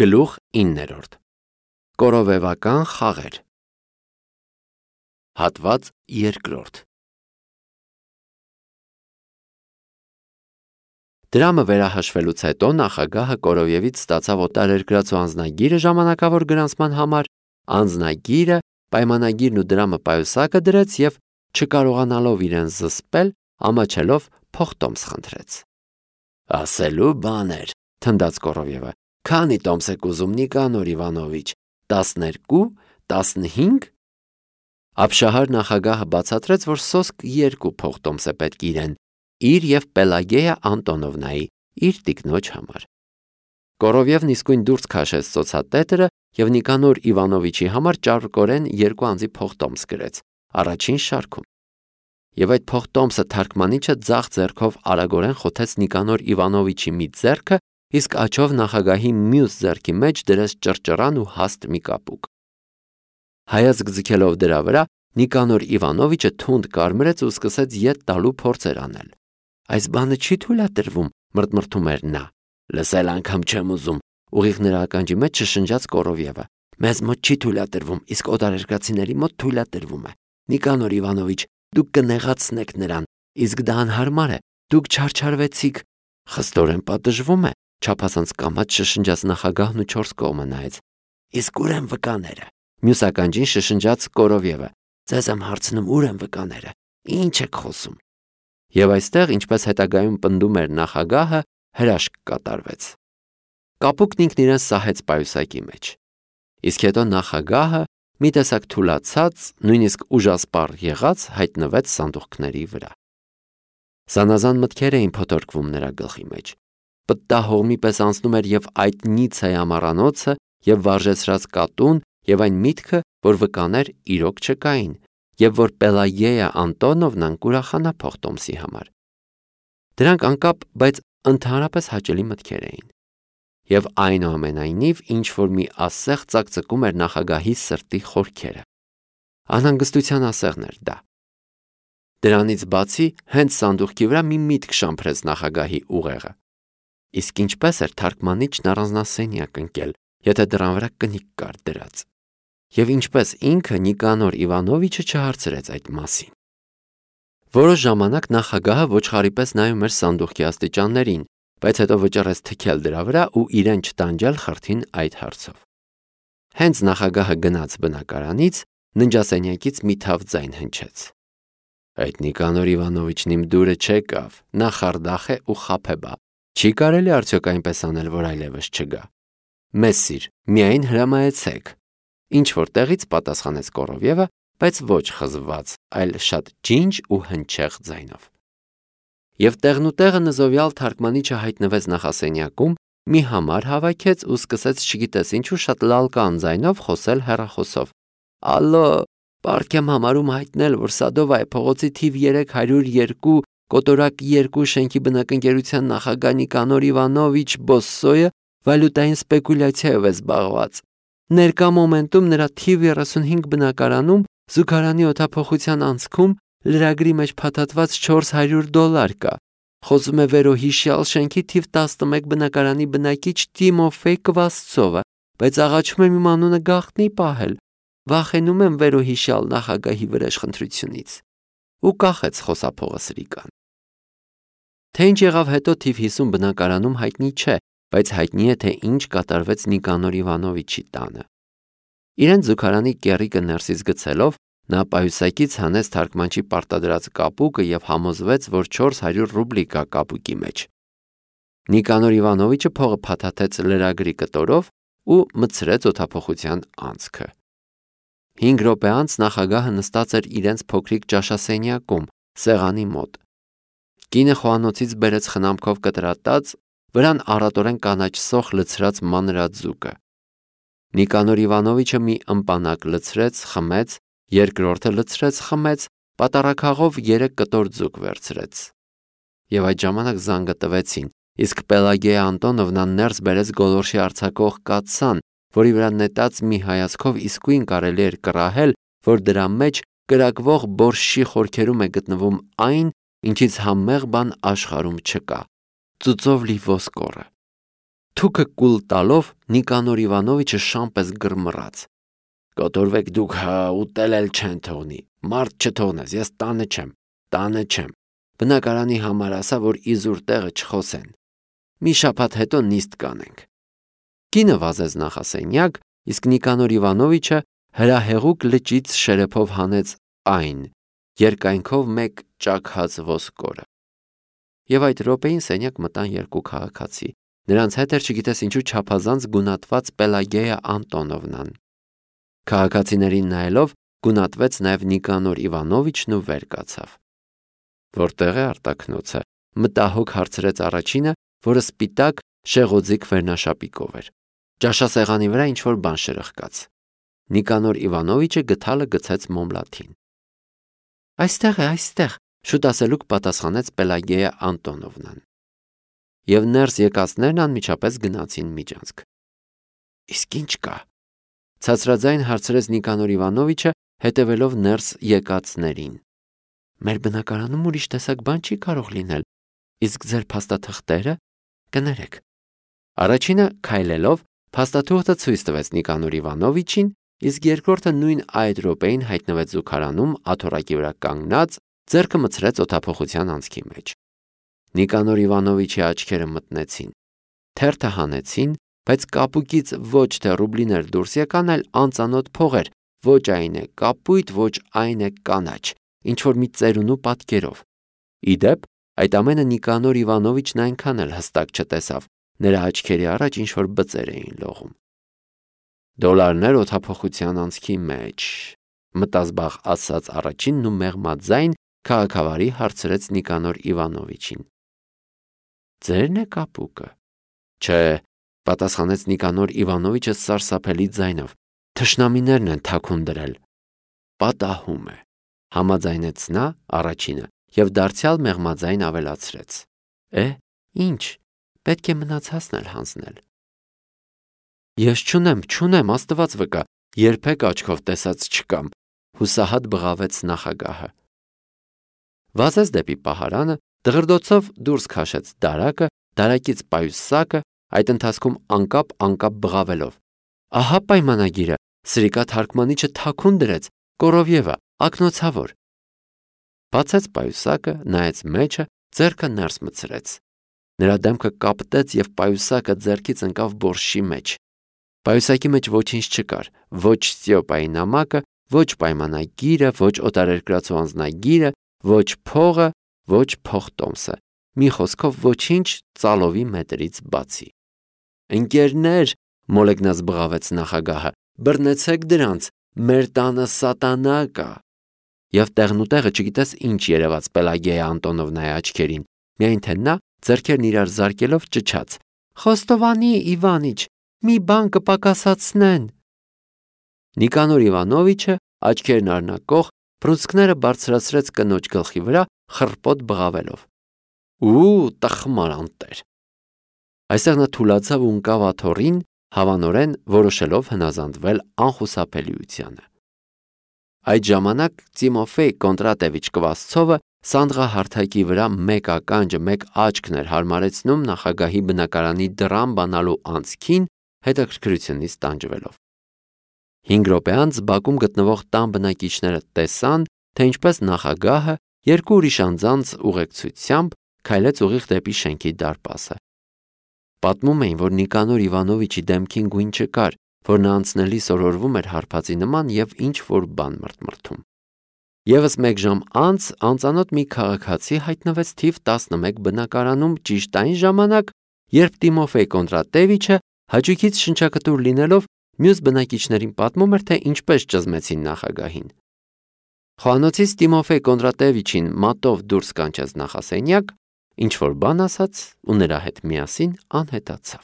Գլուխ 9 Կորովեվական խաղեր Հատված 2 Դրամը վերահաշվելուց հետո նախագահը Կորովևից ստացավ օտարերկրացու անձնագիրը ժամանակավոր գրանցման համար, անձնագիրը, պայմանագիրն ու դրամը պայուսակը դրեց և, չկարողանալով իրեն զսպել, ամաչելով փոխտոմս խնդրեց։ Ասելու բաներ, թնդաց Կորովևը, քանի տոմս եք ուզում Նիկանոր Իվանովիչ, 12, 15? Ապշահար նախագահը բացատրեց, որ սոսկ 2 փոխտոմս է պետք իրեն, իր և Պելագեյա Անտոնովնայի, իր տիկնոջ համար։ Կորովևն իսկույն դուրս քաշեց ծոցատետրը և Նիկանոր Իվանովիչի համար ճարպկորեն 2 անձի փոխտոմս գրեց, առաջին շարքում։ Եվ այդ փոխտոմսը թարգմանիչը ձախ ձեռքով արագորեն խոթեց Նիկանոր Իվանովիչի մի ձեռքը, իսկ աջով նախագահի մյուս ձեռքի մեջ դրեց ճռճռան ու հաստ մի կապուկ։ Հայացք ձգելով դրա վրա, Նիկանոր Իվանովիչը թունդ կարմրեց ու սկսեց ետ տալու փորձեր անել։ Այս բանը չի թույլատրվում, մռթմռթում էր նա։ Լսել անգամ չեմ ուզում, ուղիղ նրա ականջի մեջ շշնջաց Կորովևը։ Մեզ մոտ չի թույլատրվում, իսկ օտարերկրացիների մոտ թույլատրվում է։ Նիկանոր Իվանովիչ, դուք կնեղացնեք նրան, իսկ դա անհարմար է, դուք չարչարվեցիք։ Խստորեն պատժվում է, չափազանց կամաց շշնջաց նախագահն ու 4 կողմը նայեց։ Իսկ ուր են վկաները։ Մյուս ականջին շշնջաց Կորովևը։ Ձեզ եմ հարցնում, ուր են վկաները։ Ինչ եք խոսում։ Եվ այստեղ, ինչպես հետագայում պնդում էր նախագահը, հրաշք կատարվեց։ Կապուկն ինքն իրեն սահեց պայուսակի մեջ։ Իսկ հետո նախագահը, մի տեսակ թուլացած, նույնիսկ ուժասպառ եղած, հայտնվեց սանդուղքների վրա։ Զանազան մտքեր էին փոթորկվում նրա գլխի մեջ։ Պտտահողմի պես անցնում էր և այդ Նիցցայի ամառանոցը, և վարժեցրած կատուն, և այն միտքը, որ վկաներ իրոք չկային, և որ Պելագեյա Անտոնովնան կուրախանա փոխտոմսի համար։ Դրանք անկապ, բայց ընդհանրապես հաճելի մտքեր էին։ Եվ այնուամենայնիվ ինչ-որ մի ասեղ ծակծկում էր նախագահի սրտի խորքերը։ Անհանգստության ասեղն էր դա։ Դրանից բացի, հենց սանդուղքի վրա մի միտք շամփրեց նախագահի ուղեղը։ Իսկ ինչպես էր թարգմանիչն առանձնասենյակ ընկել, եթե դռան վրա կնիկ կար դրած։ Եվ ինչպես ինքը Նիկանոր Իվանովիչը չհարցրեց այդ մասին։ Որոշ ժամանակ նախագահը ոչխարի պես նայում էր սանդուղքի աստիճաններին, բայց հետո վճռեց թքել դրա վրա ու իրեն չտանջել խրթին այդ հարցով։ Հենց նախագահը գնաց բնակարանից, ննջասենյակից մի թավ ձայն հնչեց։ Այդ Նիկանոր Իվանովիչն իմ դուրը չեկավ, նա խարդախ է ու խաբեբա։ Չի կարելի արդյոք այնպես անել, որ այլևս չգա։ Մեզ սիր, միայն հրամայեցեք։ Ինչ-որ տեղից պատասխանեց Կորովևը, բայց ոչ խզված, այլ շատ ջինջ ու հնչեղ ձայնով։ Եվ տեղնուտեղը նզովյալ թարգմանիչը հայտնվեց նախասենյակում, մի համար հավաքեց ու սկսեց չգիտես ինչու շատ լալկան ձայնով խոսել հեռախոսով։ Ալո, պարկ եմ համարում հայտնել, որ Սադովայ փողոցի թիվ 302 կոտորակ 2 շենքի բնակընկերության նախագահ Նիկանոր Իվանովիչ Բոսսոյը վալյուտային սպեկուլյացիայով է զբաղված։ Ներկա մոմենտում նրա թիվ 35 բնակարանում զուգարանի օդափոխության անցքում լրագրի մեջ փաթաթված $400 կա։ Խոսում է վերոհիշյալ շենքի թիվ 11 բնակարանի բնակիչ Տիմոֆեյ Կվասցովը, բայց աղաչում եմ իմ անունը գաղտնի պահել։ Վախենում եմ վերոհիշյալ նախագահի վրեժխնդրությունից։ Ու կախեց խոսափողը սրիկան։ Թե ինչ եղավ հետո թիվ 50 բնակարանում հայտնի չէ, բայց հայտնի է, թե ինչ կատարվեց Նիկանոր Իվանովիչի տանը։ Իրեն զուգարանի կեռիկը ներսից գցելով, նա պայուսակից հանեց թարգմանչի պարտադրած կապուկը և համոզվեց, որ 400 ռուբլի կա կապուկի մեջ։ Նիկանոր Իվանովիչը փողը փաթաթեց լրագրի կտորով ու մտցրեց օդափոխության անցքը։ 5 րոպե անց նախագահը նստած էր իրենց փոքրիկ ճաշասենյակում, սեղանի մոտ։ Կինը խոհանոցից բերեց խնամքով կտրատած, վրան առատորեն կանաչ սոխ լցրած մանրաձուկը։ Նիկանոր Իվանովիչը մի ըմպանակ լցրեց, խմեց, երկրորդը լցրեց, խմեց, պատառաքաղով 3 կտոր ձուկ վերցրեց։ Եվ այդ ժամանակ զանգը տվեցին, իսկ Պելագեյա Անտոնովնան ներս բերեց գոլորշի արձակող կաթսան, որի վրա նետած մի հայացքով իսկույն կարելի էր կռահել, որ դրա մեջ կրակվող բորշչի խորքերում է գտնվում այն, ինչից համեղ բան աշխարհում չկա՝ ծուծով լի ոսկորը։ Թուքը կուլ տալով Նիկանոր Իվանովիչը շամպես գրմռաց. «Կոտորվեք դուք, ուտել էլ չեն թողնի, մարդ չթողնես, ես տանը չեմ, բնակարանի համար ասա, որ իզուր տեղը չխոսեն, մի շաբաթ հետո նիստ կանենք»։ Կինը վազեց նախասենյակ, իսկ Նիկանոր Իվանովիչը հրահեղուկ լճից շերեփով հանեց այն, երկայնքով մեկ ճաքած ոսկորը։ Եվ այդ րոպեին սենյակ մտան երկու քաղաքացի, նրանց հետ էր չգիտես ինչու չափազանց գունատված Պելագեյա Անտոնովնան։ Քաղաքացիներին նայելով գունատվեց նաև Նիկանոր Իվանովիչն ու վեր կացավ։ Որտեղ է արտաքնոցը, մտահոգ հարցրեց առաջինը, որը սպիտակ շեղոձիկ վերնաշապիկով էր։ Ճաշասեղանի վրա ինչ-որ բան շրխկաց։ Նիկանոր Իվանովիչը գդալը գցեց մոմլաթին։ Այստեղ, շուտ ասելուկ պատասխանեց Պելագեյա Անտոնովնան։ Եվ ներս եկածներն անմիջապես գնացին միջանցք։ Իսկ ինչ կա։ Ցածրաձայն հարցրեց Նիկանոր Իվանովիչը, հետևելով ներս եկածներին։ Մեր բնակարանում ուրիշ տեսակ բան չի կարող լինել, իսկ ձեր փաստաթղթերը կներեք։ Առաջինը քայլելով փաստաթուղթը ցույց տվեց Նիկանոր Իվանովիչին, իսկ երկրորդը նույն այդ րոպեին հայտնվեց զուգարանում աթոռակի վրա կանգնած, ձեռքը մցրեց օդափոխության անցքի մեջ։ Նիկանոր Իվանովիչի աչքերը մտնեցին, թերթը հանեցին, բայց կապուկից ոչ թե ռուբլիներ դուրս եկան, այլ անծանոթ փողեր, ոչ այն է կապույտ, ոչ այն է կանաչ, ինչ-որ մի ծերունու պատկերով։ Իդեպ, այդ ամենը Նիկանոր Իվանովիչն այնքան էլ հստակ չտեսավ, նրա աչքերի առաջ ինչ-որ բծեր էին լողում։ Դոլարներ օդափոխության անցքի մեջ, մտազբաղ ասաց առաջինն ու մեղմաձայն քաղաքավարի հարցրեց Նիկանոր Իվանովիչին։ Ձերն է կապուկը։ Չէ, պատասխանեց Նիկանոր Իվանովիչը սարսափելի ձայնով, թշնամիներն են թաքուն դրել։ Պատահում է, համաձայնեց նա առաջինը և դարձյալ մեղմաձայն ավելացրեց. Ինչ, պետք է մնացածն էլ հանձնել։ Ես չունեմ, Աստված վկա, երբեք աչքով տեսած չկամ, հուսահատ բղավեց նախագահը։ Վազեց դեպի պահարանը, դղրդոցով դուրս քաշեց դարակը, դարակից պայուսակը, այդ ընթացքում անկապ բղավելով։ Ահա պայմանագիրը, սրիկա թարգմանիչը թաքուն դրեց, Կորովյևա, ակնոցավոր։ Բացեց պայուսակը, նայեց մեջը, ձեռքը ներս մցրեց։ Նրա դեմքը կապտեց և պայուսակը ձեռքից ընկավ բորշի մեջ։ Պայուսակի մեջ ոչինչ չկար, ոչ Ստյոպայի նամակը, ոչ պայմանագիրը, ոչ օտարերկրացու անձնագիրը, ոչ փողը, ոչ փողտոմսը, մի խոսքով ոչինչ ծալովի մետրից բացի։ Ընկերներ, մոլեգնած բղավեց նախագահը, բռնեցեք դրանց, մեր տանը սատանա կա։ Եվ տեղնուտեղը չգիտես ինչ երևաց Պելագեյա Անտոնովնայի աչքերին, միայն թե նա ձեռքերն իրար զարկելով ճչաց. Խոստովանի, Իվանիչ, մի բան կպակասացնեն։ Նիկանոր Իվանովիչը աչքերն արնակող բռունցքները բարձրացրեց կնոջ գլխի վրա, խռպոտ բղավելով։ Տխմար անտեր։ Այստեղ նա թուլացավ ու ընկավ աթոռին, հավանորեն որոշելով հնազանդվել անխուսափելիությանը։ Այդ ժամանակ Տիմոֆեյ Կոնդրատևիչ Կվասցովը սանդղահարթակի վրա մեկ ականջը, մեկ աչքն էր հարմարեցնում նախագահի բնակարանի դռան բանալու անցքին, հետաքրքրությունից տանջվելով։ 5 րոպե անց բակում գտնվող տան բնակիչները տեսան, թե ինչպես նախագահը երկու ուրիշ անձանց ուղեկցությամբ քայլեց ուղիղ դեպի շենքի դարպասը։ Պատմում էին, որ Նիկանոր Իվանովիչի դեմքին գույն չկար, որ նա անցնելիս օրորվում էր հարբածի նման և ինչ-որ բան մրթմրթում։ Եվս մեկ ժամ անց անծանոթ մի քաղաքացի հայտնվեց թիվ 11 բնակարանում ճիշտ այն ժամանակ, երբ Տիմոֆեյ Կոնդրատևիչը հաճույքից շնչակտուր լինելով մյուս բնակիչներին պատմում էր, թե ինչպես ճզմեցին նախագահին։ Խոհանոցից Տիմոֆեյ Կոնդրատևիչին մատով դուրս կանչեց նախասենյակ, ինչ-որ բան ասաց ու նրա հետ միասին անհետացավ։